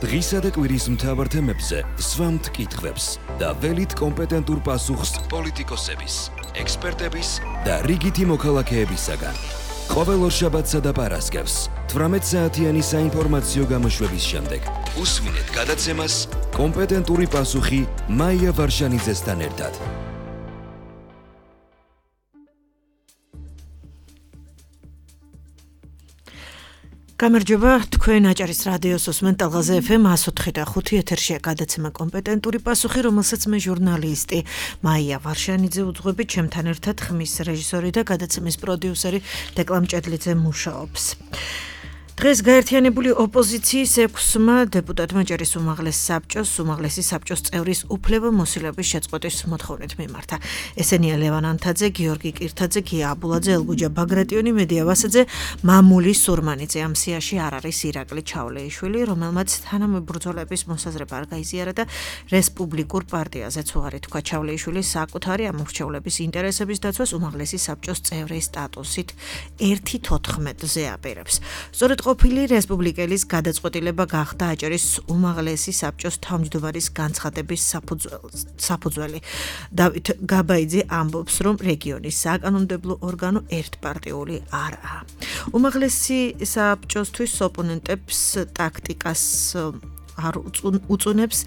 დღისა და კვირის მთავარ თემებზე სვამთ კითხვებს და ველით კომპეტენტურ პასუხს პოლიტიკოსების, ექსპერტების და რიგითი მოქალაქეებისაგან. ყოველ ორშაბათსა და პარასკევს 18 საათიანი საინფორმაციო გამოშვების შემდეგ უსმინეთ გადაცემას კომპეტენტური პასუხი მაია ვარშანიძესთან ერთად. გამარჯობა, თქვენ აჭარის რადიოს უსმენთ ტალღაზე FM 104.5 ეთერშია გადაცემა კომპეტენტური პასუხი, რომელსაც მე ჟურნალისტი მაია ვარშანიძე უძღვებით, ჩემთან ერთად ხმის რეჟისორი და გადაცემის პროდიუსერი დეკლამ ჭედლიძე მუშაობს. დღეს გაერთიანებული ოპოზიციის 6-მა დეპუტატმა ჭერის უმაღლესი საბჭოს წევრის უფლებამოსილების შეწყვეტის მოთხოვნით მიმართა. ესენია ლევან ანთაძე, გიორგი კირთაძე, გია აბულაძე, ელგუჯა ბაგრატიონი, მედია ვასაძე, მამული სურმანიძე. ამ სიაში არ არის ირაკლი ჩავლეიშვილი, რომელმაც თანამებრძოლების მოსაზრება არ გაიზიარა და რესპუბლიკურ პარტიაზეც უარი თქვა. ჩავლეიშვილი საკუთარი ამორჩევლების ინტერესების დაცვას უმაღლესი საბჭოს წევრის სტატუსით 1/14-ზე აპირებს. სწორედ ყოფილი რესპუბლიკელის გადაწყვეტილება გახდა აჭარის უმაღლესი საბჭოს თავმჯდომარის განცხადების საფუძველი. დავით გაბაიძე ამბობს, რომ რეგიონის საკანონმდებლო ორგანო ერთპარტიული არაა. უმაღლესი საბჭოსთვის ოპონენტებს ტაქტიკას არ უწუნებს,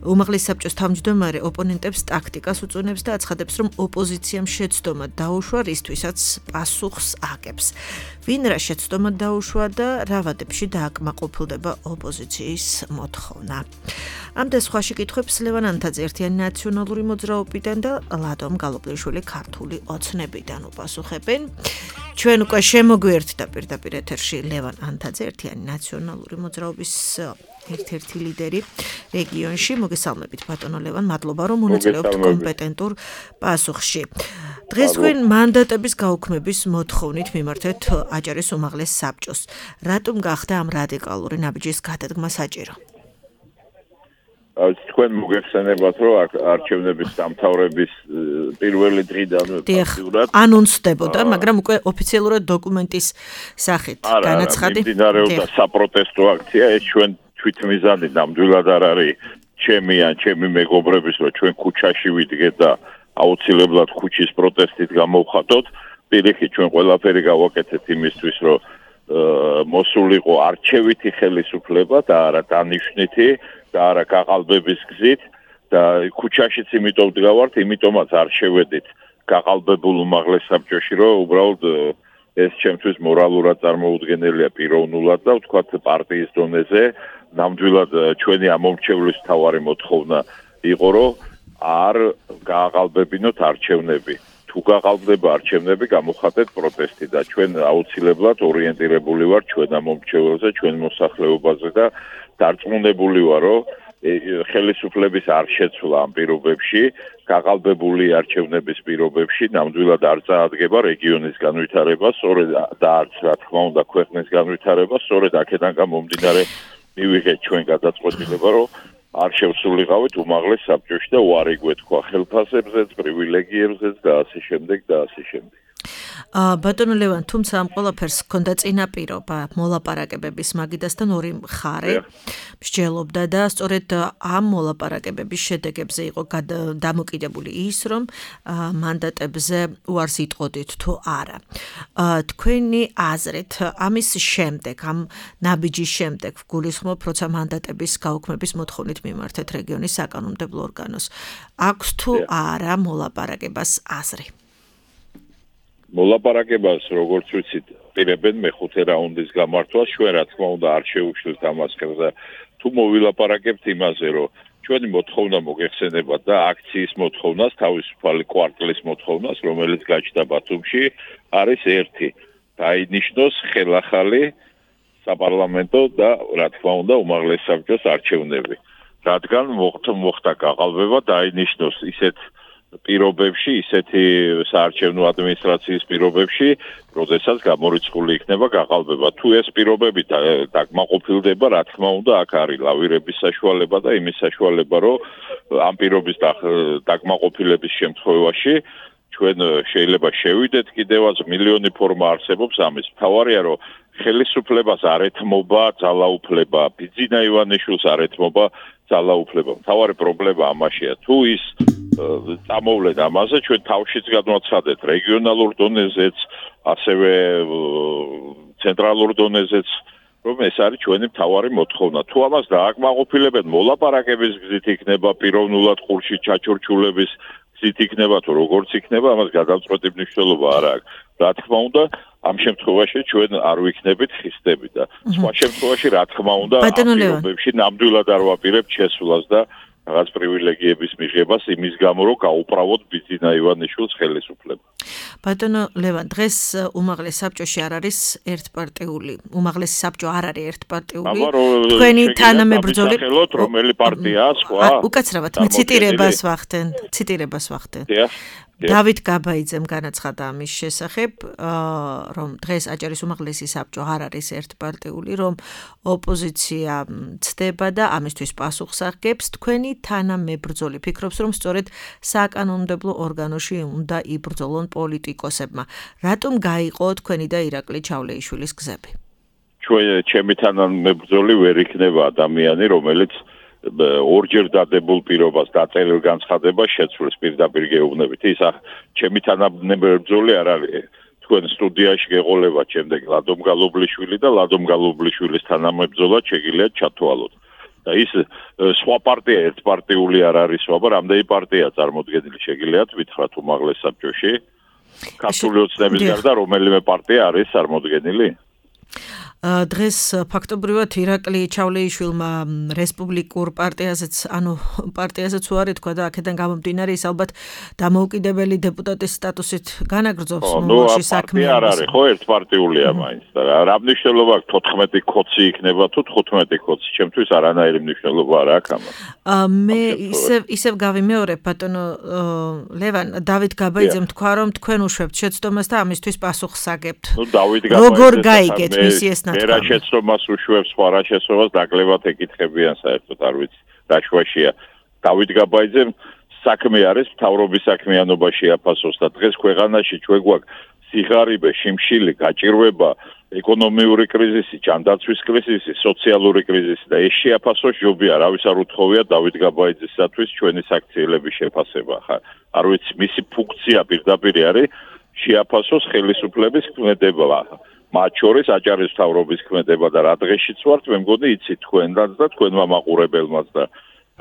უმაღლესი საბჭოს თავმჯდომარე ოპონენტებს ტაქტიკას უწუნებს და აცხადებს, რომ ოპოზიციამ შეცდომა დაუშვა, რისთვისაც პასუხს აკებს. ვინ რა შეცდომა დაუშვა და რა ვადებში დააკმაყოფილდება ოპოზიციის მოთხოვნა. ამ და სხვა შეკითხვებს ლევან ანთაძე ერთიანი ნაციონალური მოძრაობიდან და ლადომ გალობლიშვილი ქართული ოცნებიდან უპასუხებენ. ჩვენ უკვე შემოგვიერთდა პირდაპირ ეთერში ლევან ანთაძე, ერთიანი ნაციონალური მოძრაობის ერთ-ერთი ლიდერი რეგიონში. მოგესალმებით ბატონო ლევან, მადლობა რომ მონაწილეობთ კომპეტენტურ პასუხში. დღეს თქვენ მანდატების გაუქმების მოთხოვნით მიმართეთ აჭარის უმაღლეს საბჭოს. რატომ გახდა ამ რადიკალური ნაბიჯის გადადგმა საჭირო? თქვენ მოგეხსენებათ, რომ არჩევნების დამთავრების პირველი დღიდანვე ფაქტიურად ანონსდებოდა, მაგრამ უკვე ოფიციალურად დოკუმენტის სახით განაცხადი. მიმდინარეობდა საპროტესტო აქცია, ეს ჩვენ თვითმიზანი ნამდვილად არ არის ჩემი მეგობრების, რომ ჩვენ ქუჩაში ვიდგეთ და აუცილებლად ქუჩის პროტესტით გამოვხატოთ. პირიქით ჩვენ ყველაფერი გავაკეთეთ იმისთვის, რომ მოსულიყო არჩევითი ხელისუფლება და არა დანიშნითი და არა გაყალბების გზით და ქუჩაშიც იმიტომ ვდგავართ, იმიტომაც არ შევედით გაყალბებულ უმაღლეს საბჭოში, რომ უბრალოდ ეს ჩემთვის მორალურად წარმოუდგენელია პიროვნულად და ვთქვათ პარტიის დონეზე ნამდვილად ჩვენი ამომრჩევლის მთავარი მოთხოვნა იყო, რომ არ გააყალბებინოთ არჩევნები. თუ გაყალბდება არჩევნები, გამოხატეთ პროტესტი და ჩვენ აუცილებლად ორიენტირებული ვარ ჩვენ ამომრჩეველზე, ჩვენ მოსახლეობაზე და დარწმუნებული ვარ, რომ ხელისუფლების არ შეცვლა ამ პირობებში, გაყალბებული არჩევნების პირობებში ნამდვილად არ წაადგება რეგიონის განვითარება, სწორედ და არც რა თქმა უნდა ქვეყნის განვითარება, სწორედ აქედან გამომდინარე მივიღეთ ჩვენ გადაწყვეტილება, რომ არ შევსულიყავით უმაღლეს საბჭოში და უარი გვეთქვა ხელფასებზეც, პრივილეგიებზეც და ასე შემდეგ და ასე შემდეგ. ბატონო ლევან, თუმცა ამ ყველაფერს ჰქონდა წინაპირობა მოლაპარაკებების მაგიდასთან ორი მხარე მსჯელობდა და სწორედ ამ მოლაპარაკებების შედეგებზე იყო დამოკიდებული ის, რომ მანდატებზე უარს იტყოდით თუ არა. თქვენი აზრით, ამის შემდეგ, ამ ნაბიჯის შემდეგ გულისხმობ, როცა მანდატების გაუქმების მოთხოვნით მიმართეთ რეგიონის საკანონმდებლო ორგანოს. აქვს თუ არა მოლაპარაკებას აზრი? მოლაპარაკებას, როგორც ვიცით, პირებენ მეხუთე რაუნდის გამართვას, ჩვენ რა თქმა უნდა არ შევუშლით ამას ხელზე. თუ მოვილაპარაკებთ იმაზე, რომ ჩვენი მოთხოვნა მოგეხსენებათ და აქციის მოთხოვნას, თავისუფალი კვარტლის მოთხოვნას, რომელიც გაჩნდა ბათუმში, არის ერთი. დაინიშნოს ხელახალი საპარლამენტო და რა თქმა უნდა უმაღლეს საბჭოს არჩევნები. რადგან მოხდა გაყალბება, დაინიშნოს ისეთ პირობებში, ისეთი საარჩევნო ადმინისტრაციის პირობებში, როდესაც გამორიცხული იქნება გაყალბება. თუ ეს პირობები დაკმაყოფილდება, რა თქმა უნდა, აქ არის ლავირების საშუალება და იმის საშუალება, რომ ამ პირობის დაკმაყოფილების შემთხვევაში ჩვენ შეიძლება შევიდეთ კიდევაც მილიონი ფორმა არსებობს ამის. მთავარია, რომ ხელისუფლებას არ ეთმობა ძალაუფლება, ბიძინა ივანიშვილს არ ეთმობა ძალაუფლება. მთავარი პრობლემა ამაშია. თუ ის წამოვლენ ამაზე, ჩვენ თავშიც გადმოაცხადეთ რეგიონალურ დონეზეც, ასევე ცენტრალურ დონეზეც, რომ ეს არის ჩვენი მთავარი მოთხოვნა. თუ ამას დააკმაყოფილებენ, მოლაპარაკების გზით იქნება, პიროვნულად ყურში ჩაჩურჩულების გზით იქნება, თუ როგორც იქნება, ამას გადამწყვეტი მნიშვნელობა არ აქვს. რა თქმა უნდა, ამ შემთხვევაში ჩვენ არ ვიქნებით ხისტები და სხვა შემთხვევაში რა თქმა უნდა ამ პირობებში ნამდვილად არ ვაპირებთ შესვლას და რაღაც პრივილეგიების მიღებას იმის გამო რომ გაუправოთ ბიძინა ივანიშვილს ხელისუფლება. ბატონო ლევან, დღეს უმაღლეს საბჭოში არ არის ერთპარტიული. უმაღლესი საბჭო არ არის ერთპარტიული. თქვენი თანამებრძოლი რომელი პარტიაა სხვა? უკაცრავად ციტირებას ვახდენ. დავით გაბაიძემ განაცხადა ამის შესახებ, რომ დღეს აჭარის უმაღლესი საბჭო არ არის ერთპარტიული, რომ ოპოზიცია ცდება და ამისთვის პასუხს აღგებს. თქვენი თანამებრძოლი ფიქრობს, რომ სწორედ საკანონმდებლო ორგანოში უნდა იბრძოლონ პოლიტიკოსებმა. რატომ გაიყო თქვენი და ირაკლი ჩავლეიშვილის გზები? ჩემი თანამებრძოლი ვერ იქნება ადამიანი, რომელიც ორჯერ დადებულ პირობას დაწერილ განცხადებას შეცვლის პირდაპირ გეუბნებით. ის ჩემი თანამებრძოლი არ არის. თქვენ სტუდიაში გეყოლებათ შემდეგ ლადომ გალობლიშვილი და ლადომ გალობლიშვილის თანამებრძოლად შეგიძლიათ ჩათვალოთ. და ის სხვა პარტია ერთპარტიული არ არის, მაგრამ რამდენი პარტია წარმოდგენილი შეგიძლიათ ვითხრათ უმაღლეს საბჭოში? ქართული ოცნების გარდა რომელიმე პარტია არის წარმოდგენილი? დღეს ფაქტობრივად ირაკლი ჩავლეიშვილმა რესპუბლიკურ პარტიაზეც უარი თქვა და აქედან გამომდინარე ის ალბათ დამოუკიდებელი დეპუტატის სტატუსით განაგრძობს მომავალში საქმე. არ არის ხო ერთპარტიულია მაინც და რა მნიშვნელობა აქვს 14 კოცი იქნება თუ 15 კოცი, ჩემთვის არანაირი მნიშვნელობა არ აქვს ამას. მე ისევ გავიმეორებ ბატონო ლევან, დავით გაბაიძემ თქვა რომ თქვენ უშვებთ შეცდომას და ამისთვის პასუხს აგებთ. როგორ გაიგეთ მისი ეს მერა შეცდომას უშვებს, სხვა რა შეცდომას დაკლებად ეკითხებიან საერთოდ არ ვიცი რა შვაშია. დავით გაბაიძემ საქმე არის მთავრობის საქმიანობაში აფასოს და დღეს ქვეყანაში ჩვენ გვაქვს სიღარიბე, შიმშილი, გაჭირვება, ეკონომიური კრიზისი, ჯანდაცვის კრიზისი, სოციალური კრიზისი და ეს შეაფასოს ჯობია, რავის არ უთხოვია დავით გაბაიძისათვის ჩვენი საქციელების შეფასება. არ ვიცი, მისი ფუნქცია პირდაპირ არის შეაფასოს ხელისუფლების ქმედება. მათ შორის აჭარის მთავრობის ქმედება და რა დღეშიც ვართ, მე მგონი იცით თქვენდაც და თქვენმა მაყურებელმაც და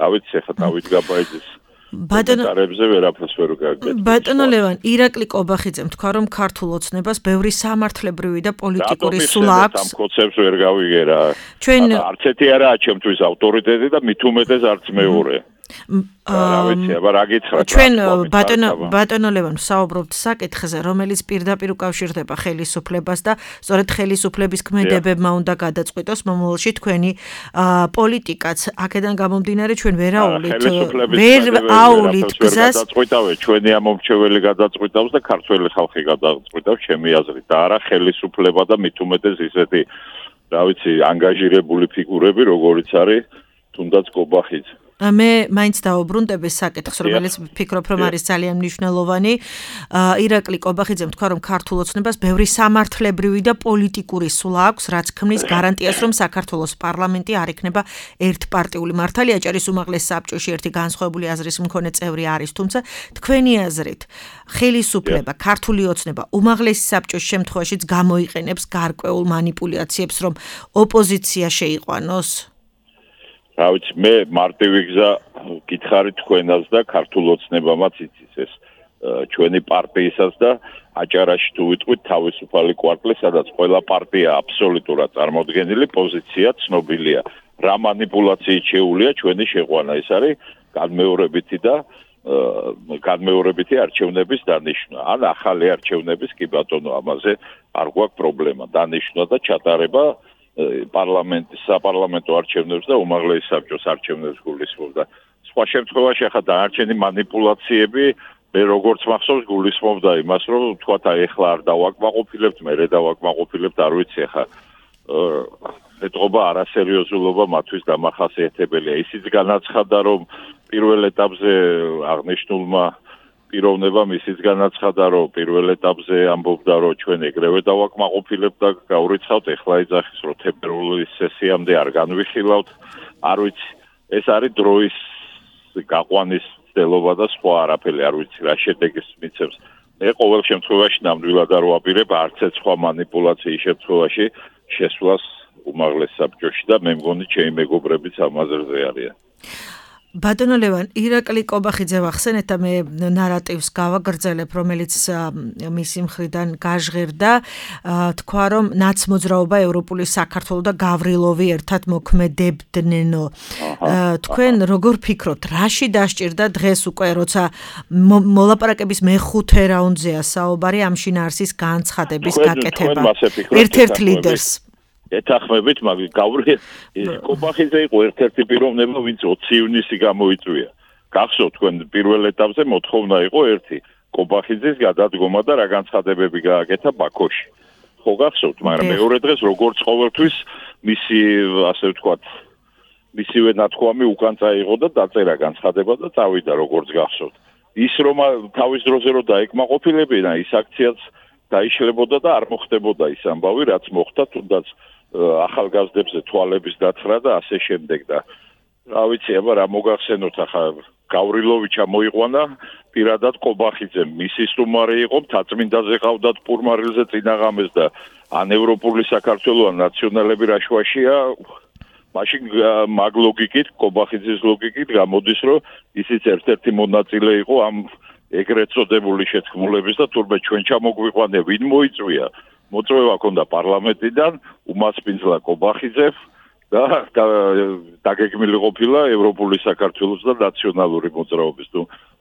რა ვიცი ახლა დავით გაბაიძის კომენტარებზე ვერაფერს ვერ გავიგებ. ბატონო ლევან, ირაკლი კობახიძემ თქვა რომ ქართულ ოცნებას ბევრი სამართლებრივი და პოლიტიკური სულა აქვს. ამ კონცეფტს ვერ გავიგერა. არც ერთი არაა ჩემთვის ავტორიტეტი და მით უმეტეს არც მეორე. რა ვიცი, აბა რა გითხრათ? ჩვენ ბატონო ლევან საუბრობთ საკითხზე, რომელიც პირდაპირ უკავშირდება ხელისუფლებას და სწორედ ხელისუფლების ქმედებებმა უნდა გადაწყვიტოს მომავალში თქვენი პოლიტიკაც. აქედან გამომდინარე ჩვენ ვერ აუვლით გზას. ჩვენი ამომრჩეველი გადაწყვიტავს და ქართველი ხალხი გადაწყვიტავს ჩემი აზრით და არა ხელისუფლება და მით უმეტეს ისეთი რა ვიცი ანგაჟირებული ფიგურები, როგორიც არის თუნდაც კობახიძე. მე მაინც დავუბრუნდები საკითხს, რომელიც ვფიქრობ, რომ არის ძალიან მნიშვნელოვანი. ირაკლი კობახიძემ თქვა, რომ ქართულ ოცნებას ბევრი სამართლებრივი და პოლიტიკური სულა აქვს, რაც ქმნის გარანტიას, რომ საქართველოს პარლამენტი არ იქნება ერთპარტიული. მართალია, აჭარის უმაღლეს საბჭოში ერთი განსხვავებული აზრის მქონე წევრი არის, თუმცა თქვენი აზრით, ხელისუფლება, ქართული ოცნება უმაღლეს საბჭოს შემთხვევაშიც გამოიყენებს გარკვეულ манипуляციებს, რომ ოპოზიცია შეიყვანოს? რა ვიცი, მე მარტივი გზა გითხარი თქვენას და ქართულ ოცნებამაც იცის ეს ჩვენი პარტიისას და აჭარაში თუ ვიტყვით თავისუფალი კვარტალი, სადაც ყველა პარტია აბსოლუტურად წარმოდგენილი პოზიცია ცნობილია. რა манипуляციით შეუულია ჩვენი შეყვანა, ეს არის განმეორებითი არჩევნების დანიშვნა. ან ახალი არჩევნების კი ბატონო, ამაზე არ გვაქვს პრობლემა. დანიშვნა და ჩატარება საპარლამენტო არჩევნებს და უმაღლეს საბჭოს არჩევნებს გულისხმობდა. სხვა შემთხვევაში ახლა დაარჩენი манипуляციები მე როგორც მახსოვს გულისხმობდა იმას, რომ თქვათ აი ახლა არ დავაკმაყოფილებთ, მერე დავაკმაყოფილებთ, არ ვიცი ახლა ეთყობა არასერიოზულობა მათთვის დამახასიათებელია. ისიც განაცხადა, რომ პირველ ეტაპზე აღნიშნულმა პიროვნება მისიც განაცხადა, რომ პირველ ეტაპზე ამბობდა, რომ ჩვენ ეგრევე დავაკმაყოფილებთ და გავრიცხავთ, ეხლა ეძახის, რომ თებერვლის სესიამდე არ განვიხილავთ. არ ვიცი, ეს არის დროის გაყვანის ცდელობა და სხვა არაფერი არ ვიცი რა შედეგს მიცემს. მე ყოველ შემთხვევაში ნამდვილად არ ვაპირებ არც ერთ სხვა манипуляციის შემთხვევაში შესვლას უმაღლეს საბჭოში და მე მგონი ჩემი მეგობრებიც ამ აზრზე არიან. ბატონო ლევან, ირაკლი კობახიძე ვახსენეთ და მე ნარატივს გავაგრძელებ, რომელიც მისი მხრიდან გაჟღერდა, თქვა რომ ნაცმოძრაობა ევროპული საქართველო და გავრილოვი ერთად მოქმედებდნენო. თქვენ როგორ ფიქრობთ, რაში დასჭირდა დღეს უკვე, როცა მოლაპარაკების მეხუთე რაუნდზეა საუბარი ამ შინაარსის განცხადების გაკეთება ერთ-ერთ ლიდერს? ეთახმებით, მაგრამ კობახიძე იყო ერთ-ერთი პიროვნება, ვინც 20 ივნისი გამოიწვია. გახსოვთ, თქვენ პირველ ეტაპზე მოთხოვნა იყო ერთი, კობახიძის გადადგომა და რა განცხადებები გააკეთა ბაქოში. ხო გახსოვთ, მაგრამ მეორე დღეს როგორც ყოველთვის მისი, ასე ვთქვათ, მისივე ნათქვამი უკან წაიღო და დაწერა განცხადება და წავიდა როგორც გახსოვთ. ის რომ თავის დროზე რომ დაეკმაყოფილებინა, ის აქციაც დაიშლებოდა და არ მოხდებოდა ის ამბავი, რაც მოხდა, თუნდაც ახალგაზრდებზე თვალების დათხრა და ასე შემდეგ და რა ვიცი, აბა რა მოგახსენოთ ახლა გავრილოვი ჩამოიყვანა პირადად კობახიძემ, მისი სტუმარი იყო, მთაწმინდაზე ყავდათ პურმარილზე წინაღამეს და ან ევროპული საქართველო ან ნაციონალები რაშვაშია, მაშინ მაგ ლოგიკით, კობახიძის ლოგიკით გამოდის, რომ ისიც ერთ-ერთი მონაწილე იყო ამ ეგრეთ წოდებული შეთქმულების და თურმე ჩვენ ჩამოგვიყვანე, ვინ მოიწვია? მოწვევა ჰქონდა პარლამენტიდან, უმასპინძლა კობახიძემ და დაგეგმილი ყოფილა ევროპული საქართველოს და ნაციონალური მოძრაობის.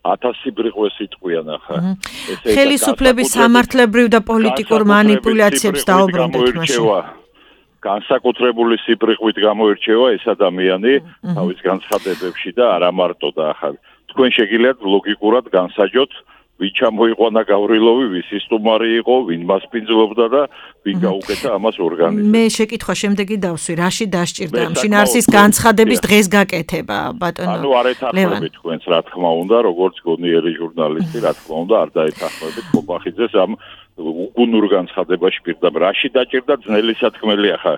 1000 სიბრიყვეს იტყვიან ახლა. ხელისუფლების სამართლებრივ და პოლიტიკურ манипуляციებს დაუბრუნდეთ მაშინ. განსაკუთრებული სიბრიყვით გამოირჩევა ეს ადამიანი თავის განცხადებებში და არა მარტო და ახლა თქვენ შეგიძლიათ ლოგიკურად განსაჯოთ, ვინ ჩამოიყვანა გავრილოვი, ვისი სტუმარი იყო, ვინ მასპინძლობდა და ვინ გაუკეთა ამას ორგანიზმს. მე შეკითხვა შემდეგი დავსვი, რაში დასჭირდა ამ შინაარსის განცხადების დღეს გაკეთება, ბატონო? ანუ არ ეთანხმებით თქვენს, რა თქმა უნდა, როგორც გონიერი ჟურნალისტი, რა თქმა უნდა, არ დაეთანხმებით კობახიძეს ამ უგუნურ განცხადებაში პირდაპირ. რაში დაჭირდა ძნელი სათქმელი ახლა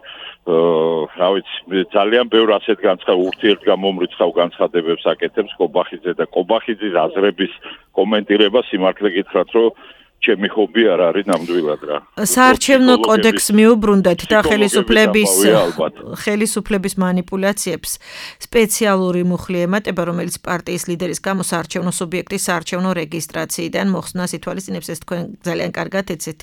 რა ვიცი, ძალიან ბევრ ასეთ ურთიერთგამომრიცხავ განცხადებებს აკეთებს კობახიძე და კობახიძის აზრების კომენტირება სიმართლე გითხრათ, რომ ჩემი ჰობი არ არის ნამდვილად რა. საარჩევნო კოდექსს მიუბრუნდეთ და ხელისუფლების манипуляციებს სპეციალური მუხლი ემატება, რომელიც პარტიის ლიდერის გამო საარჩევნო სუბიექტის საარჩევნო რეგისტრაციიდან მოხსნას ითვალისწინებს, ეს თქვენ ძალიან კარგად ეცეთ.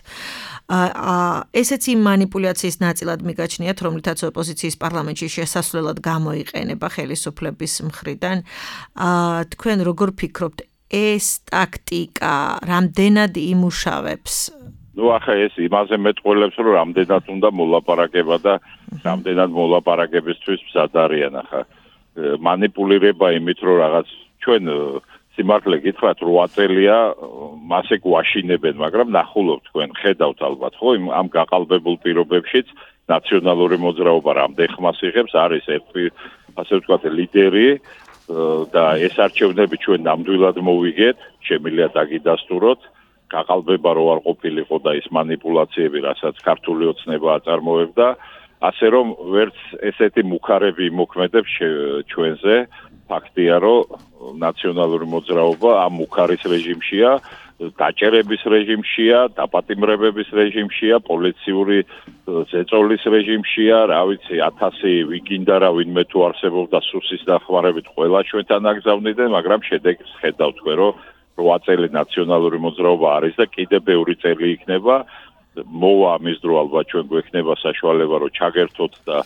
ესეც იმ манипуляციის ნაწილად მიგაჩნიათ, რომლითაც ოპოზიციის პარლამენტში შესასვლელად გამოიყენება ხელისუფლების მხრიდან. თქვენ როგორ ფიქრობთ, ეს ტაქტიკა რამდენად იმუშავებს? ახლა ეს იმაზე მეტყველებს, რომ რამდენად უნდა მოლაპარაკება და რამდენად მოლაპარაკებისთვის მზად არიან ახლა. манипуლირება იმით, რომ რაღაც ჩვენ სიმართლე გითხრათ 8 წელია მასე გვაშინებენ, მაგრამ ნახულობთ თქვენ, ხედავთ ალბათ, ხო, ამ გაყალბებულ პირობებშიც ნაციონალური მოძრაობა რამდენ ხმას იღებს, არის ერთი, ასე ვთქვათ, ლიდერი და ეს არჩევნები ჩვენ ნამდვილად მოვიგეთ, შემიძლია დაგიდასტუროთ, გაყალბება რო არ ყოფილიყო და ის манипуляციები, რასაც ქართული ოცნება აწარმოებდა, ასე რომ ვერც ესეთი მუქარები იმოქმედებს ჩვენზე, ფაქტია, რომ ნაციონალური მოძრაობა ამ მუქარის რეჟიმშია, დაჭერების რეჟიმშია, დაპატიმრებების რეჟიმშია, პოლიციური ზეწოლის რეჟიმშია, რა ვიცი, 1000 ვიგინდა რა ვინმე თუ არსებობდა სუსის დახმარებით ყველა ჩვენთან აგზავნიდნენ, მაგრამ შედეგს ხედავთ თქვენ, რომ 8 წელი ნაციონალური მოძრაობა არის და კიდე ბევრი წელი იქნება. მოვა ამის დრო ალბათ ჩვენ გვექნება საშუალება, რომ ჩაგერთოთ და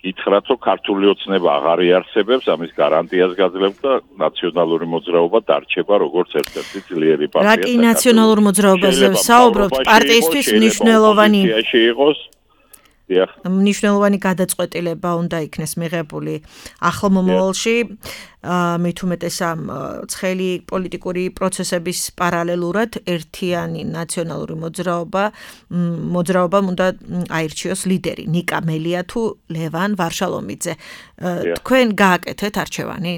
გითხრათ, რომ ქართული ოცნება აღარ იარსებებს, ამის გარანტიას გაძლევთ და ნაციონალური მოძრაობა დარჩება როგორც ერთ-ერთი ძლიერი პარტია. რა კი ნაციონალურ მოძრაობაზე საუბრობთ, პარტიისთვის მნიშვნელოვანი გადაწყვეტილება უნდა იქნეს მიღებული ახალ მომავალში, მით უმეტეს ამ ცხელი პოლიტიკური პროცესების პარალელურად ერთიანი ნაციონალური მოძრაობამ უნდა აირჩიოს ლიდერი, ნიკა მელია თუ ლევან ვარშალომიძე. თქვენ გააკეთეთ არჩევანი?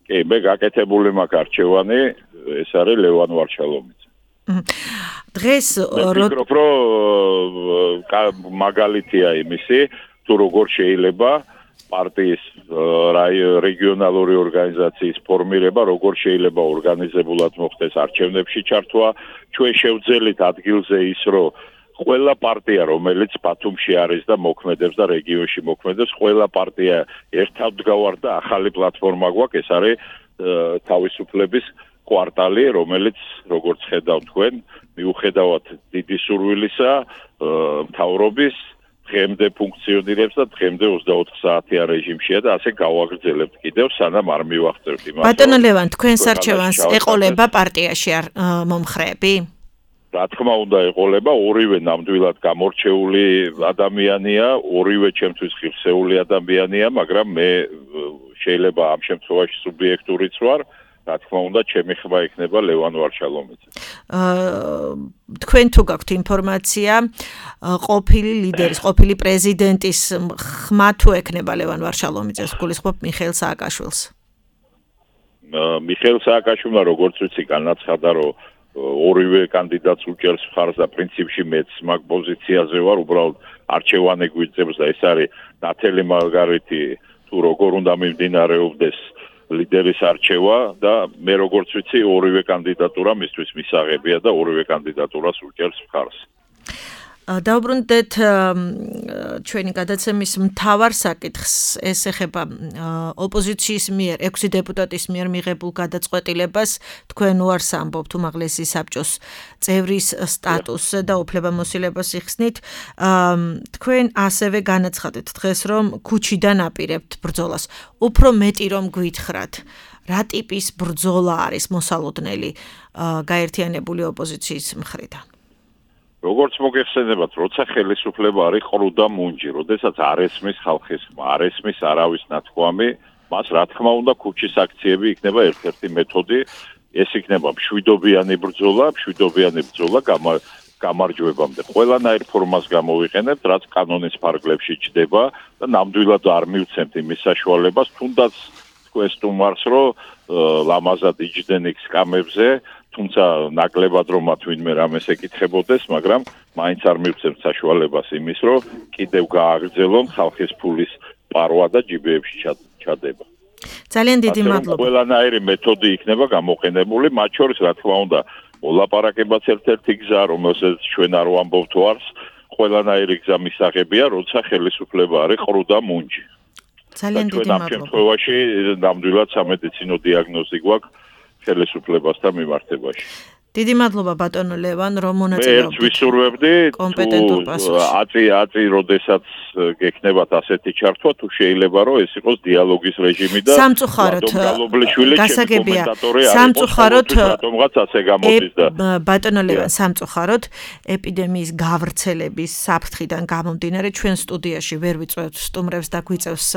კი, მე გაკეთებული მაქვს არჩევანი, ეს არის ლევან ვარშალომიძე. დღეს ვფიქრობ, რომ მაგალითია იმისი, თუ როგორ შეიძლება პარტიის რეგიონალური ორგანიზაციის ფორმირება, როგორ შეიძლება ორგანიზებულად მოხდეს არჩევნებში ჩართვა, ჩვენ შევძელით ადგილზე ის, რომ ყველა პარტია, რომელიც ბათუმში არის და მოქმედებს და რეგიონში მოქმედებს, ყველა პარტია ერთად და ახალი პლატფორმა გვაქვს, ეს არის თავისუფლების კვარტალი, რომელიც როგორც ხედავთ თქვენ, მიუხედავად დიდი სურვილისა, მთავრობის დღემდე ფუნქციონირებს და დღემდე 24 საათიან რეჟიმშია და ასე გავაგრძელებთ კიდევ, სანამ არ მივახცევთ იმას. ბატონო ლევან, თქვენს არჩევანს ეყოლება პარტიაში მომხრეები? რა თქმა უნდა ეყოლება, ორივე ნამდვილად გამორჩეული ადამიანია, ორივე ჩემთვის ღირსეული ადამიანია, მაგრამ მე შეიძლება ამ შემთხვევაში სუბიექტურიც ვარ, რა თქმა უნდა ჩემი ხმა იქნება ლევან ვარშალომიძე. თქვენ თუ გაქვთ ინფორმაცია, ყოფილი ლიდერის, ყოფილი პრეზიდენტის ხმა თუ ექნება ლევან ვარშალომიძეს, გულისხმობ მიხეილ სააკაშვილს? მიხეილ სააკაშვილმა როგორც ვიცი განაცხადა, რომ ორივე კანდიდატს უჭერს მხარს და პრინციპში მეც მაგ პოზიციაზე ვარ, უბრალოდ არჩევანი გვიწევს და ეს არის ნათელი მარგარიტი თუ როგორ უნდა მიმდინარეობდეს ლიდერის არჩევა და მე როგორც ვიცი ორივე კანდიდატურა მისთვის მისაღებია და ორივე კანდიდატურას უჭერს მხარს. დავბრუნდეთ ჩვენი გადაცემის მთავარ საკითხს, ეს ეხება ოპოზიციის მიერ 6 დეპუტატის მიერ მიღებულ გადაწყვეტილებას. თქვენ უარს ამბობთ უმაღლესი საბჭოს წევრის სტატუსზე და უფლებამოსილებას იხსნით. თქვენ ასევე განაცხადეთ დღეს, რომ ქუჩიდან აპირებთ ბრძოლას. უფრო მეტი რომ გვითხრათ, რა ტიპის ბრძოლა არის მოსალოდნელი გაერთიანებული ოპოზიციის მხრიდან? როგორც მოგეხსენებათ, როცა ხელისუფლება არის ყრუ და მუნჯი, როდესაც არ ესმის ხალხის ხმა, არ ესმის არავის ნათქვამი, მას რა თქმა უნდა ქუჩის აქციები იქნება ერთ-ერთი მეთოდი, ეს იქნება მშვიდობიანი ბრძოლა გამარჯვებამდე. ყველანაირ ფორმას გამოვიყენებთ, რაც კანონის ფარგლებში ჩდება და ნამდვილად არ მივცემთ იმის საშუალებას, თუნდაც თქვენ სტუმარს, რომ ლამაზად იჯდნენ იქ სკამებზე, თუმცა ნაკლებად რომ მათ ვინმე რამეს ეკითხებოდეს, მაგრამ მაინც არ მივცემთ საშუალებას იმის, რომ კიდევ გააგრძელონ ხალხის ფულის პარვა და ჯიბეებში ჩადება. ძალიან დიდი მადლობა. ყველანაირი მეთოდი იქნება გამოყენებული, მათ შორის რა თქმა უნდა, მოლაპარაკებაც ერთ-ერთი გზა, რომელსაც ჩვენ არ ვამბობთ ვარს, ყველანაირი გზა მისაღებია, როცა ხელისუფლება არის ყრუ და მუნჯი. ძალიან დიდი მადლობა. ამ შემთხვევაში ნამდვილად სამედიცინო დიაგნოზი გვაქვს ხელისუფლებასთან მიმართებაში. დიდი მადლობა ბატონო ლევან, რომ მონაწილეობდით. მე ვისურვებდი კომპეტენტურ პასუხში. აწი როდესაც გექნებათ ასეთი ჩართვა, თუ შეიძლება რომ ეს იყოს დიალოგის რეჟიმი და სამწუხაროდ გასაგებია სამწუხაროდ რატომღაც ასე გამოდის და ბატონო ლევან სამწუხაროდ ეპიდემიის გავრცელების საფრთხიდან გამომდინარე ჩვენ სტუდიაში ვერ ვიწვევთ სტუმრებს და გვიწევს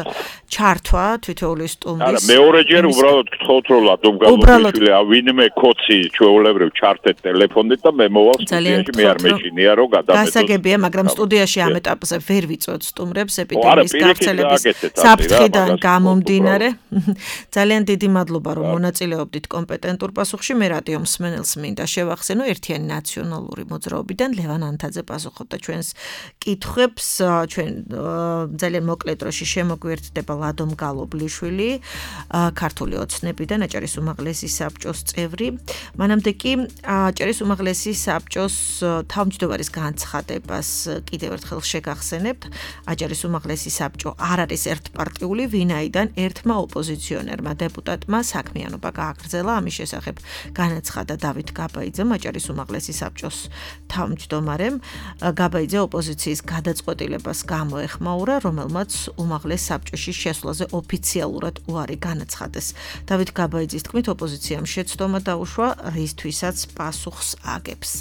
ჩართვა თითოეული სტუმრის. არა მეორეჯერ უბრალოდ გთხოვთ რომ ლადომგალოშვილი ვინმე კოცი ჩვეულებრივ ჩართეთ ტელეფონით და მე მოვალ სტუდიაში მე არ მეშინია რომ გადამეტოს. გასაგებია, მაგრამ სტუდიაში ამ ეტაპზე ვერ ვიწვევთ სტუმრებს ეპიდემიის გავრცელების საფრთხიდან გამომდინარე. ძალიან დიდი მადლობა რომ მონაწილეობდით კომპეტენტურ პასუხში. მე რადიო მსმენელს მინდა შევახსენო ერთიანი ნაციონალური მოძრაობიდან ლევან ანთაძე პასუხობდა ჩვენს კითხვებს. ჩვენ ძალიან მოკლე დროში შემოგვიერთდება ლადომ გალობლიშვილი, ქართული ოცნებიდან აჭარის უმაღლესი საბჭოს წევრი. მანამდე კი აჭარის უმაღლესი საბჭოს თავმჯდომარის განცხადებას კიდევ ერთხელ შეგახსენებთ. აჭარის უმაღლესი საბჭო არ არის ერთპარტიული, ვინაიდან ერთმა ოპოზიციონერმა დეპუტატმა საქმიანობა გააგრძელა. ამის შესახებ განაცხადა დავით გაბაიძემ, აჭარის უმაღლესი საბჭოს თავმჯდომარემ. გაბაიძე ოპოზიციის გადაწყვეტილებას გამოეხმაურა, რომელმაც უმაღლეს საბჭოში შესვლაზე ოფიციალურად უარი განაცხადეს. დავით გაბაიძის თქმით, ოპოზიციამ შეცდომა დაუშვა, რისთვისაც პასუხს აგებს.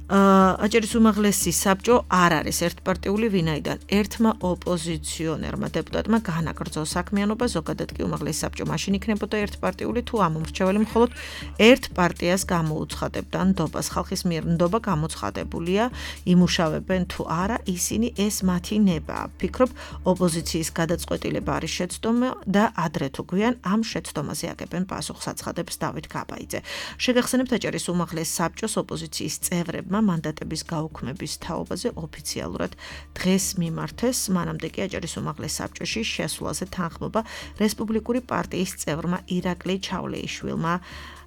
აჭარის უმაღლესი საბჭო არ არის ერთპარტიული, ვინაიდან ერთმა ოპოზიციონერმა დეპუტატმა განაგრძო საქმიანობა, ზოგადად კი უმაღლესი საბჭო მაშინ იქნებოდა ერთპარტიული, თუ ამ მომრჩეველი მხოლოდ ერთ პარტიას გამოუცხადებდა ნდობას. ხალხის მიერ ნდობა გამოცხადებულია, იმუშავებენ თუ არა, ისინი ეს მათი ნებაა. ფიქრობ, ოპოზიციის გადაწყვეტილება არის შეცდომა და ადრე თუ გვიან ამ შეცდომაზე აგებენ პასუხს, აცხადებს დავით გაბაიძე. შეგახსენებთ, აჭარის უმაღლეს საბჭოს ოპოზიციის წევრებმა მანდატების გაუქმების თაობაზე ოფიციალურად დღეს მიმართეს, მანამდე კი აჭარის უმაღლეს საბჭოში შესვლაზე თანხმობა რესპუბლიკური პარტიის წევრმა ირაკლი ჩავლეიშვილმა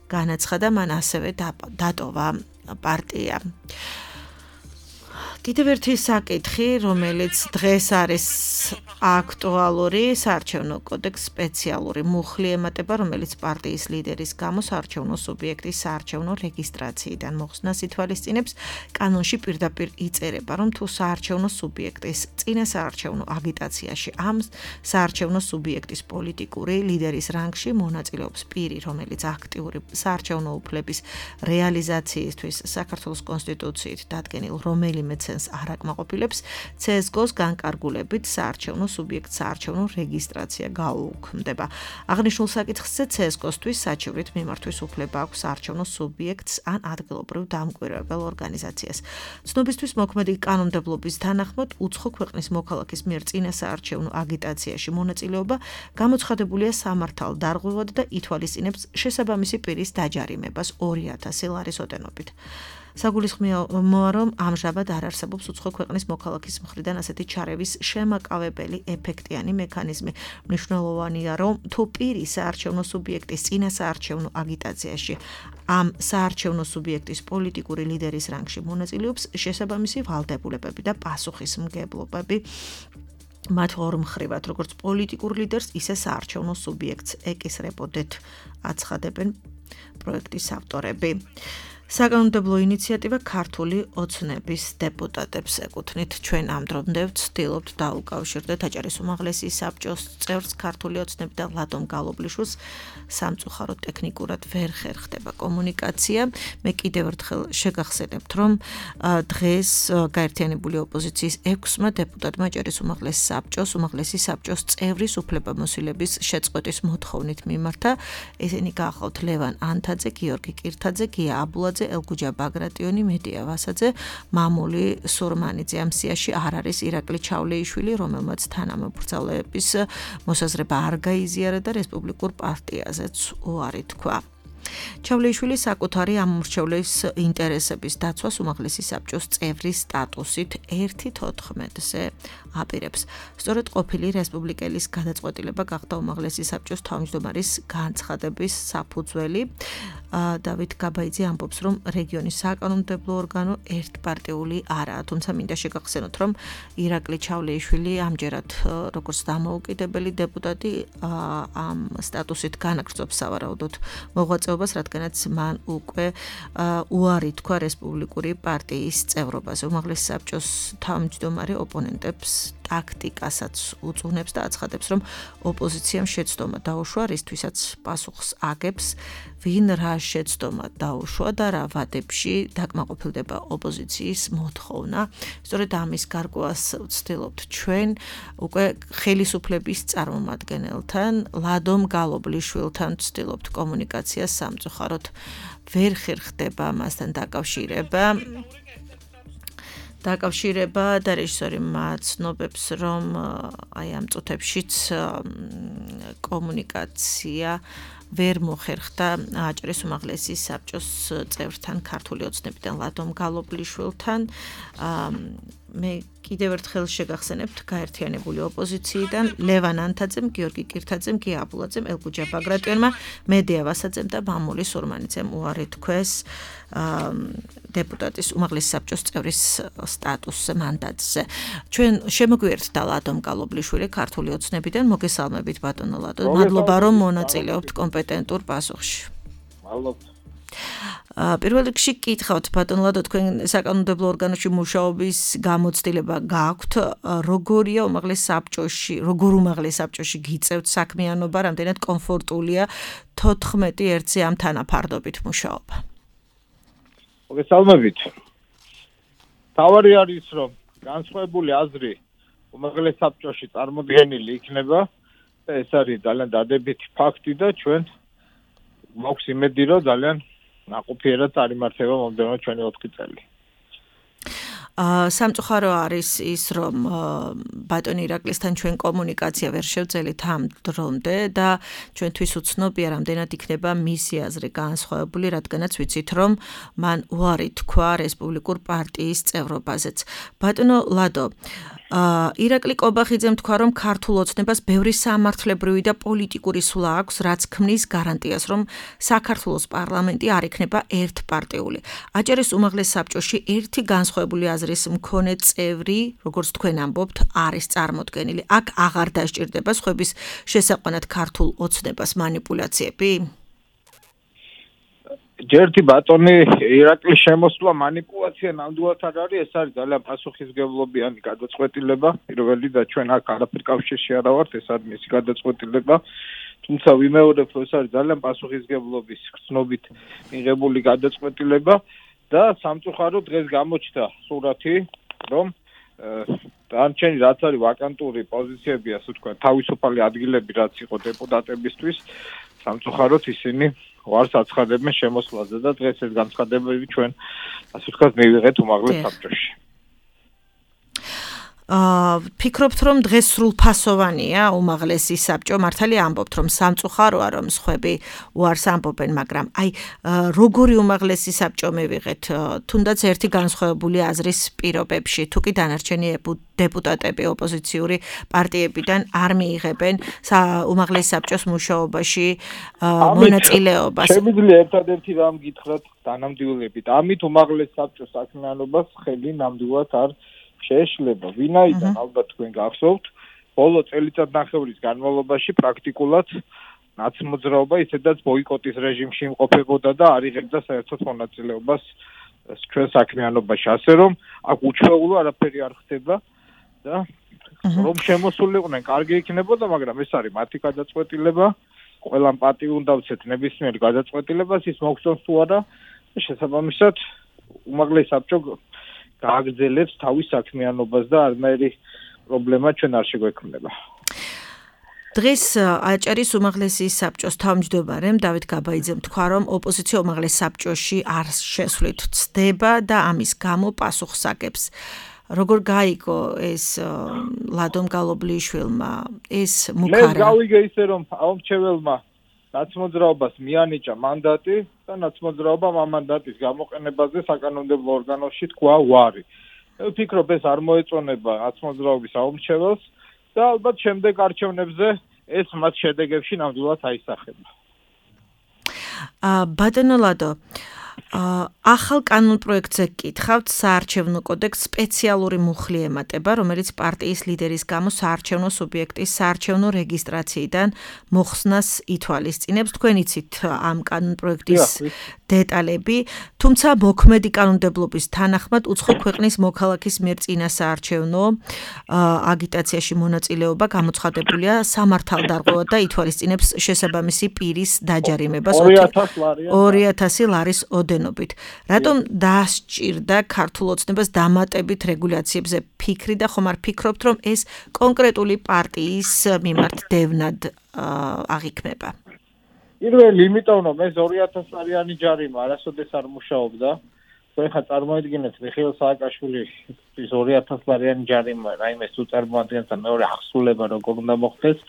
განაცხადა, მან ასევე დატოვა პარტია. კიდევ ერთი საკითხი, რომელიც დღეს არის აქტუალური, საარჩევნო კოდექს სპეციალური მუხლი ემატება, რომელიც პარტიის ლიდერის გამო საარჩევნო სუბიექტის საარჩევნო რეგისტრაციიდან მოხსნას ითვალისწინებს. კანონში პირდაპირ იწერება, რომ თუ საარჩევნო სუბიექტის წინა საარჩევნო აგიტაციაში ამ საარჩევნო სუბიექტის პოლიტიკური ლიდერის რანგში მონაწილეობს პირი, რომელიც აქტიური საარჩევნო უფლების რეალიზაციისთვის საქართველოს კონსტიტუციით დადგენილ რომელიმე ცენს არ აკმაყოფილებს, CSGO-ს განკარგულებით საარჩევნო სუბიექტს საარჩევნო რეგისტრაცია გაუქმდება. აღნიშნულ საკითხზე CSGO-სთვის საჩივრით მიმართვის უფლება აქვს საარჩევნო სუბიექტს ან ადგილობრივ დამკვირვებელ ორგანიზაციას. ცნობისთვის მოქმედი კანონმდებლობის თანახმად, უცხო ქვეყნის მოქალაქის მიერ წინა საარჩევნო აგიტაციაში მონაწილეობა გამოცხადებულია სამართალ დარღვევად და ითვალისწინებს შესაბამისი პირის დაჯარიმებას 2000 ლარის ოდენობით. საგულისხმოა, რომ ამჟამად არ არსებობს უცხო ქვეყნის მოქალაქის მხრიდან ასეთი ჩარევის შემაკავებელი ეფექტიანი მექანიზმი. მნიშვნელოვანია, რომ თუ პირი საარჩევნო სუბიექტის წინა საარჩევნო აგიტაციაში ამ საარჩევნო სუბიექტის პოლიტიკური ლიდერის რანგში მონაწილეობს, შესაბამისი ვალდებულებები და პასუხისმგებლობები მათ ორ მხრივად, როგორც პოლიტიკურ ლიდერს, ისე საარჩევნო სუბიექტს ეკისრებოდეთ, აცხადებენ პროექტის ავტორები. საკანონმდებლო ინიციატივა ქართული ოცნების დეპუტატებს ეკუთვნით. ჩვენ ამ დრომდე ვცდილობთ დაუკავშირდეთ აჭარის უმაღლესი საბჭოს წევრს ქართული ოცნები და ლადომ გალობლიშვილს. სამწუხაროდ ტექნიკურად ვერ ხერხდება კომუნიკაცია. მე კიდევ ერთხელ შეგახსენებთ, რომ დღეს გაერთიანებული ოპოზიციის 6-მა დეპუტატმა აჭარის უმაღლესი საბჭოს წევრის უფლებამოსილების შეწყვეტის მოთხოვნით მიმართა. ესენი გახლავთ ლევან ანთაძე, გიორგი კირთაძე, გია აბულაძე, ელგუჯა ბაგრატიონი, მედია ვასაძე, მამული სურმანიძე. ამ სიაში არ არის ირაკლი ჩავლეიშვილი, რომელმაც თანამებრძოლების მოსაზრება არ გაიზიარა და რესპუბლიკურ პარტიაზეც უარი თქვა. ჩავლეიშვილი საკუთარი ამომრჩევლის ინტერესების დაცვას უმაღლესი საბჭოს წევრის სტატუსით 1/14-ზე აპირებს. სწორედ ყოფილი რესპუბლიკელის გადაწყვეტილება გახდა უმაღლესი საბჭოს თავმჯდომარის განცხადების საფუძველი. დავით გაბაიძე ამბობს, რომ რეგიონის საკანონმდებლო ორგანო ერთპარტიული არაა, თუმცა მინდა შეგახსენოთ, რომ ირაკლი ჩავლეიშვილი ამჯერად როგორც დამოუკიდებელი დეპუტატი ამ სტატუსით განაგრძობს სავარაუდოდ მოღვაწეობას, რადგანაც მან უკვე უარი თქვა რესპუბლიკური პარტიის წევრობაზე. უმაღლესი საბჭოს თავმჯდომარე ოპონენტებს ტაქტიკასაც უწუნებს და აცხადებს, რომ ოპოზიციამ შეცდომა დაუშვა, რისთვისაც პასუხს აგებს, ვინ რა შეცდომა დაუშვა და რა ვადებში დაკმაყოფილდება ოპოზიციის მოთხოვნა. სწორედ ამის გარკვევას ვცდილობთ ჩვენ უკვე ხელისუფლების წარმომადგენელთან, ლადომ გალობლიშვილთან ვცდილობთ კომუნიკაციას, სამწუხაროდ ვერ ხერხდება მასთან დაკავშირება და რეჟისორი მაცნობებს, რომ აი ამ წუთებშიც კომუნიკაცია ვერ მოხერხდა აჭარის უმაღლესი საბჭოს წევრთან, ქართული ოცნებიდან ლადომ გალობლიშვილთან. მე კიდევ ერთხელ შეგახსენებთ გაერთიანებული ოპოზიციიდან ლევან ანთაძემ, გიორგი კირთაძემ, გია აბულაძემ, ელგუჯა ბაგრატიონმა, მედია ვასაძემ და მამული სურმანიძემ უარი თქვეს დეპუტატის უმაღლესი საბჭოს წევრის სტატუსზე, მანდატზე. ჩვენ შემოგვიერთდა ლადომ გალობლიშვილი ქართული ოცნებიდან. მოგესალმებით ბატონო ლადო. მადლობა რომ მონაწილეობთ კომპეტენტურ პასუხში. მადლობთ. პირველ რიგში გკითხავთ ბატონო ლადო, თქვენ საკანონმდებლო ორგანოში მუშაობის გამოცდილება გააქვთ, როგორია უმაღლეს საბჭოში, როგორ უმაღლეს საბჭოში გიწევთ საქმიანობა, რამდენად კომფორტულია 14-ზე ამ თანაფარდობით მუშაობა? მოგესალმებით. თავარი არის რომ განსხვავებული აზრი უმაღლეს საბჭოში წარმოდგენილი იქნება და ეს არის ძალიან დადებითი ფაქტი და ჩვენ მაქვს იმედი რომ ძალიან ნაყოფიერად წარიმართება მომდევნო ჩვენი 4 წელი. სამწუხარო არის ის, რომ ბატონი ირაკლისთან ჩვენ კომუნიკაცია ვერ შევძელით ამ დრომდე და ჩვენთვის უცნობია, რამდენად იქნება მისი აზრი განსხვავებული, რადგანაც ვიცით, რომ მან უარი თქვა რესპუბლიკურ პარტიის წევრობაზეც. ბატონო ლადო, ირაკლი კობახიძემ თქვა, რომ ქართულ ოცნებას ბევრი სამართლებრივი და პოლიტიკური სულა აქვს, რაც ქმნის გარანტიას, რომ საქართველოს პარლამენტი არ იქნება ერთპარტიული. აჭარის უმაღლეს საბჭოში ერთი განსხვავებული აზრის მქონე წევრი, როგორც თქვენ ამბობთ, არის წარმოდგენილი. აქ აღარ დასჭირდება სხვების შესაყვანად ქართულ ოცნებას манипуляციები? ჯერთი ბატონი ირაკლის შემოსვლა манипуляცია ნამდვილად არ არის, ეს არის ძალიან პასუხისმგებლობიანი გადაწყვეტილება. პირველი და ჩვენ აქ არაფერ კავშირში არ ვართ, ეს არის მისი გადაწყვეტილება. თუმცა ვიმეორებ, რომ ეს არის ძალიან პასუხისმგებლობის გრძნობით მიღებული გადაწყვეტილება და სამწუხაროდ დღეს გამოჩნდა სურათი, რომ დანარჩენი რაც არის ვაკანტური პოზიციები, ასე ვთქვათ, თავისუფალი ადგილები რაც იყო დეპუტატებისთვის, სამწუხაროდ ისინი ვარს აცხადებენ შემოსვლაზე და დღეს ეს განცხადებები ჩვენ ასე ვთქვათ მივიღეთ უმაღლეს საბჭოში. ფიქრობთ, რომ დღეს სრულფასოვანია უმაღლესი საბჭო? მართალია ამბობთ, რომ სამწუხაროა, რომ სხვები უარს ამბობენ, მაგრამ აი როგორი უმაღლესი საბჭო მივიღეთ, თუნდაც ერთი განსხვავებული აზრის პირობებში, თუ კი დანარჩენი დეპუტატები ოპოზიციური პარტიებიდან არ მიიღებენ უმაღლეს საბჭოს მუშაობაში მონაწილეობას. შემიძლია ერთადერთი რამ გითხრათ დანამდვილებით. ამით უმაღლეს საბჭოს საქმიანობას ხელი ნამდვილად არ შეეშლება. ვინაიდან ალბათ თქვენ გახსოვთ, ბოლო წელიწადნახევრის განმავლობაში პრაქტიკულად ნაცმოძრაობა ისედაც ბოიკოტის რეჟიმში იმყოფებოდა და არ იღებდა საერთოდ მონაწილეობას ჩვენ საქმიანობაში. ასე რომ აქ უჩვეულო არაფერი არ ხდება და რომ შემოსულიყვნენ, კარგი იქნებოდა, მაგრამ ეს არის მათი გადაწყვეტილება. ყველამ პატი უნდა ვცეთ ნებისმიერ გადაწყვეტილებას, ის მოგწონს თუ არა, შესაბამისად უმაღლეს საბჭო გააგრძელებს თავის საქმიანობას და არნაირი პრობლემა ჩვენ არ შეგვექმნება. დღეს აჭარის უმაღლესი საბჭოს თავმჯდომარემ დავით გაბაიძემ თქვა, რომ ოპოზიცია უმაღლეს საბჭოში არ შესვლით ცდება და ამის გამო პასუხს აგებს. როგორ გაიგო ეს ლადომ გალობლიშვილმა ეს მუქარა? მე გავიგე ისე, რომ აუმრჩეველმა ნაცმოძრაობას მიანიჭა მანდატი და ნაცმოძრაობამ ამ მანდატის გამოყენებაზე საკანონმდებლო ორგანოში თქვა უარი. მე ვფიქრობ, ეს არ მოეწონება ნაცმოძრაობის აუმრჩეველს და ალბათ შემდეგ არჩევნებზე ეს მათ შედეგებში ნამდვილად აისახება. ბატონო ლადო, ახალ კანონპროექტზე გკითხავთ საარჩევნო კოდექსს სპეციალური მუხლი ემატება, რომელიც პარტიის ლიდერის გამო საარჩევნო სუბიექტის საარჩევნო რეგისტრაციიდან მოხსნას ითვალისწინებს. თქვენ იცით ამ კანონპროექტის დეტალები, თუმცა მოქმედი კანონმდებლობის თანახმად უცხო ქვეყნის მოქალაქის მიერ წინა საარჩევნო აგიტაციაში მონაწილეობა გამოცხადებულია სამართალდარღვევად და ითვალისწინებს შესაბამისი პირის დაჯარიმებას 2,000 ლარის ოდენობით. რატომ დასჭირდა ქართულ ოცნებას დამატებით რეგულაციებზე ფიქრი და ხომ არ ფიქრობთ, რომ ეს კონკრეტული პარტიის მიმართ დევნად აღიქმება? პირველი, იმიტომ რომ ეს 2,000 ლარიანი ჯარიმა არასოდეს არ მუშაობდა. თქვენ ხა წარმოიდგინეთ, მიხეილ სააკაშვილის 2,000 ლარიანი ჯარიმა, რაიმე თუ წარმოადგენს და მეორე აღსრულება როგორ უნდა მოხდეს.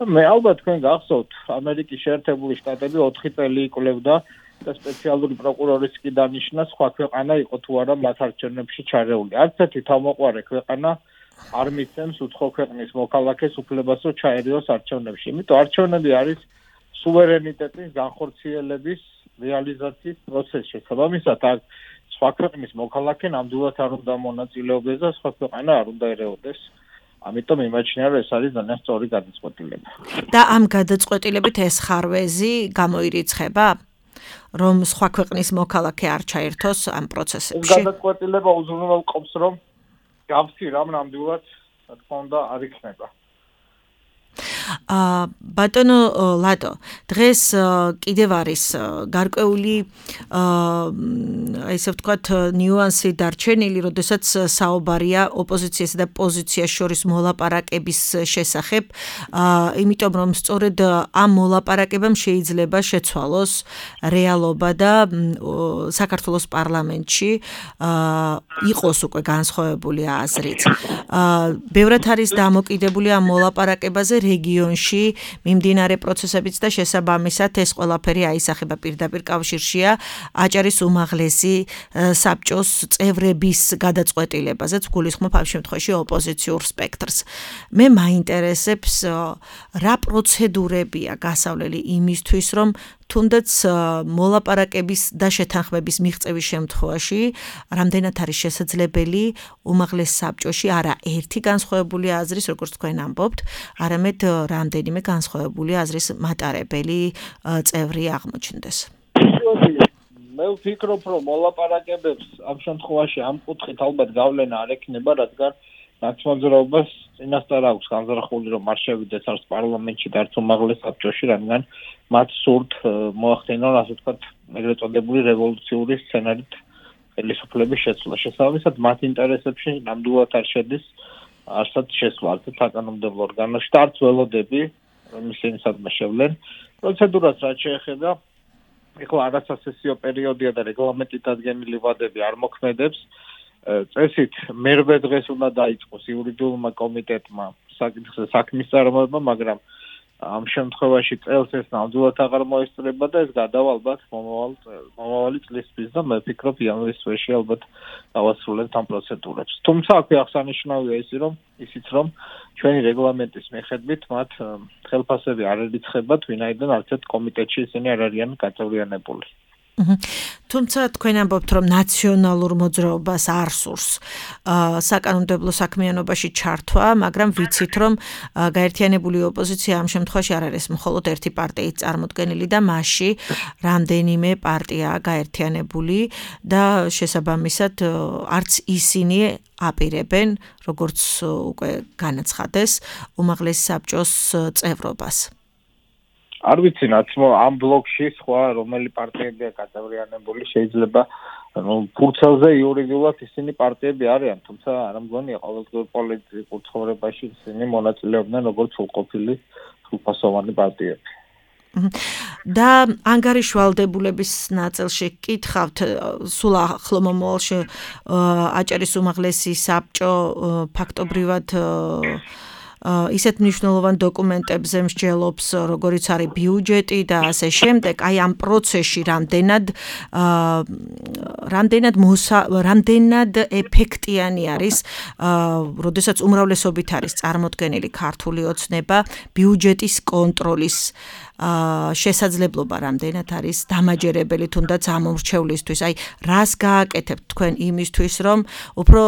მე ალბათ თქვენ გახსოვთ, ამერიკის შეერთებული შტატები 4 წელი იკვლევდა და სპეციალური პროკურორის კი დანიშნა, სხვა ქვეყანა იყო თუ არა მათ არჩევნებში ჩარეული. არც ერთი თავმოყარე ქვეყანა არ მიცემს უცხო ქვეყნის მოქალაქეს უფლებას, რომ ჩაერიოს არჩევნებში. იმიტომ არჩევნები არის სუვერენიტეტის განხორციელების რეალიზაციის პროცესი. შესაბამისად, აქ სხვა ქვეყნის მოქალაქე ნამდვილად არ უნდა მონაწილეობდეს და სხვა ქვეყანა არ უნდა ერეოდეს. ამიტომ იმაჩნია, რომ ეს არის ძალიან სწორი გადაწყვეტილება. და ამ გადაწყვეტილებით ეს ხარვეზი გამოირიცხება, რომ სხვა ქვეყნის მოქალაქე არ ჩაერთოს ამ პროცესებში? ეს გადაწყვეტილება უზრუნველყოფს, რომ გავსი რამ ნამდვილად, რა თქმა უნდა, არ იქნება. ბატონო ლადო, დღეს კიდევ არის გარკვეული ესე ვთქვათ ნიუანსი დარჩენილი, როდესაც საუბარია ოპოზიციასა და პოზიციას შორის მოლაპარაკების შესახებ, იმიტომ რომ სწორედ ამ მოლაპარაკებამ შეიძლება შეცვალოს რეალობა და საქართველოს პარლამენტში იყოს უკვე განსხვავებული აზრით. ბევრად არის დამოკიდებული ამ მოლაპარაკებაზე რეგიონში მიმდინარე პროცესებიც და შესაბამისად ეს ყველაფერი აისახება პირდაპირ კავშირშია აჭარის უმაღლესი საბჭოს წევრების გადაწყვეტილებაზეც გულისხმობ ამ შემთხვევაში ოპოზიციურ სპექტრს. მე მაინტერესებს რა პროცედურებია გასავლელი იმისთვის, რომ თუნდაც მოლაპარაკების და შეთანხმების მიღწევის შემთხვევაში რამდენად არის შესაძლებელი უმაღლეს საბჭოში არა ერთი განსხვავებული აზრის, როგორც თქვენ ამბობთ, არამედ რამდენიმე განსხვავებული აზრის მატარებელი წევრი აღმოჩნდეს. მე ვფიქრობ, რომ მოლაპარაკებებს ამ შემთხვევაში ამ კუთხით ალბათ გავლენა არ ექნება, რადგან ნაცმოძრაობას წინასწარ აქვს განზრახული, რომ არ შევიდეს არც პარლამენტში და არც უმაღლეს საბჭოში, რადგან მათ სურთ მოახდინონ, ასე ვთქვათ, ეგრეთ წოდებული რევოლუციური სცენარით ხელისუფლების შეცვლა. შესაბამისად, მათ ინტერესებში ნამდვილად არ შედის არცად შესვლა საკანონმდებლო ორგანოში და არც ველოდები, რომ ისინი სადმე შევლენ. პროცედურას რაც შეეხება, ეხლა არასასესიო პერიოდია და რეგლამენტით დადგენილი ვადები არ მოქმედებს. წესით მერვე დღეს უნდა დაიწყოს იურიდიულმა კომიტეტმა საქმის წარმოება, მაგრამ ამ შემთხვევაში წელს ეს ნამდვილად აღარ მოესწრება და ეს გადავა ალბათ მომავალი წლისთვის და მე ვფიქრობ იანვრის თვეში ალბათ დავასრულებთ ამ პროცედურებს. თუმცა აქვე აღსანიშნავია ისიც რომ ჩვენი რეგლამენტის მიხედვით მათ ხელფასები არ ერიცხებათ, ვინაიდან არც ერთ კომიტეტში ისინი არ არიან გაწევრიანებული. თუმცა თქვენ ამბობთ, რომ ნაციონალურ მოძრაობას არ სურს საკანონმდებლო საქმიანობაში ჩართვა, მაგრამ ვიცით, რომ გაერთიანებული ოპოზიცია ამ შემთხვევაში არ არის მხოლოდ ერთი პარტიით წარმოდგენილი და მასში რამდენიმე პარტიაა გაერთიანებული და შესაბამისად არც ისინი აპირებენ, როგორც უკვე განაცხადეს, უმაღლესი საბჭოს წევრობას. არ ვიცი ამ ბლოკში სხვა რომელი პარტიებია გაწევრიანებული, შეიძლება ფურცელზე იურიდიულად ისინი პარტიები არიან, თუმცა არ მგონია ყოველდღიურ პოლიტიკურ ცხოვრებაში ისინი მონაწილეობდნენ როგორც სრულყოფილი სრულფასოვანი პარტიები. და ანგარიშვალდებულების ნაწილში გკითხავთ, სულ ახლო მომავალში აჭარის უმაღლესი საბჭო ფაქტობრივად ისეთ მნიშვნელოვან დოკუმენტებზე მსჯელობს, როგორიც არის ბიუჯეტი და ასე შემდეგ, აი ამ პროცესში რამდენად ეფექტიანი არის, როდესაც უმრავლესობით არის წარმოდგენილი ქართული ოცნება, ბიუჯეტის კონტროლის შესაძლებლობა რამდენად არის დამაჯერებელი თუნდაც ამომრჩევლისთვის. აი რას გააკეთებთ თქვენ იმისთვის, რომ უფრო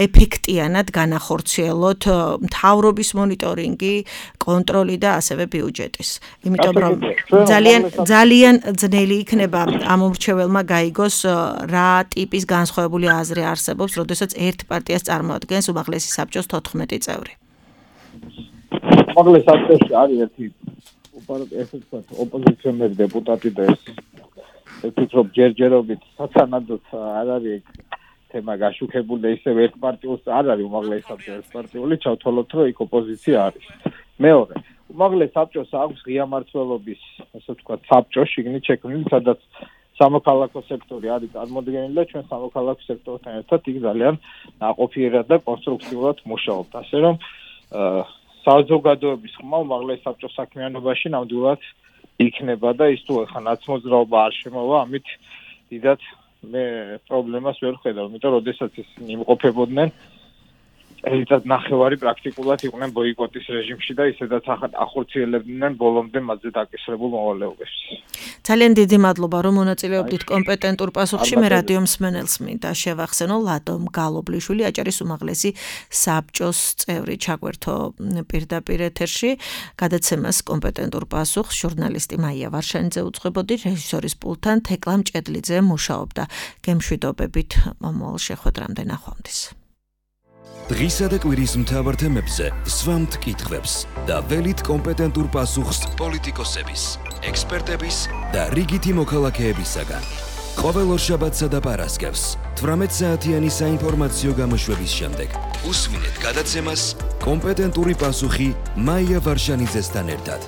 ეფექტიანად განახორციელოთ მთავრობის მონიტორინგი, კონტროლი და ასევე ბიუჯეტის. იმიტომ რომ ძალიან ძნელი იქნება ამომრჩეველმა გაიგოს რა ტიპის განსხვავებული აზრი არსებობს, როდესაც ერთ პარტიას წარმოადგენს უმაღლესი საბჭოს 14 წევრი. უმაღლეს საბჭოში არის ერთი ოპოზიციონერი დეპუტატი და ეს ვფიქრობ ჯერჯერობით სათანადოდ არ არის თემა გაშუქებული და ისევ ერთპარტიულს არ არის უმაღლესი საბჭო ერთპარტიული, ჩავთვალოთ რომ იქ ოპოზიცია არის. მეორე, უმაღლეს საბჭოს აქვს ღია მმართველობის, ასე ვთქვათ, საბჭო შიგნით შექმნილი, სადაც სამოქალაქო სექტორი არის წარმოდგენილი და ჩვენ სამოქალაქო სექტორთან ერთად იქ ძალიან ნაყოფიერად და კონსტრუქციულად მუშაობთ. ასე რომ საზოგადოების ხმა უმაღლეს საბჭოს საქმიანობაში ნამდვილად იქნება და ის თუ ახლა ნაცმოძრაობა არ შემოვა, ამით დიდად მე პრობლემას ვერ ვხედავ, იმიტომ რომ როდესაც ისინი იმყოფებოდნენ წელიწად ნახევარი პრაქტიკულად იყვნენ ბოიკოტის რეჟიმში და ისედაც ახორციელებდნენ ბოლომდე მათზე დაკისრებულ მოვალეობებს. ძალიან დიდი მადლობა, რომ მონაწილეობდით კომპეტენტურ პასუხში. მე რადიო მსმენელს მინდა შევახსენო, ლადო მგალობლიშვილი, აჭარის უმაღლესი საბჭოს წევრი, ჩაგვერთო პირდაპირ ეთერში. გადაცემას კომპეტენტურ პასუხს ჟურნალისტი მაია ვარშანიძე უძღვებოდი, რეჟისორის პულტთან თეკლა მჭედლიძე მუშაობდა. გემშვიდობებით მომავალ შეხვედრამდე, ნახვამდის. დღისა და კვირის მთავარ თემებზე სვამთ კითხვებს და ველით კომპეტენტურ პასუხს პოლიტიკოსების, ექსპერტების და რიგითი მოქალაქეებისაგან. ყოველ ორშაბათსა და პარასკევს 18 საათიანი საინფორმაციო გამოშვების შემდეგ უსვინეთ გადაცემას კომპეტენტური პასუხი მაია ვარშანიძესთან ერთად.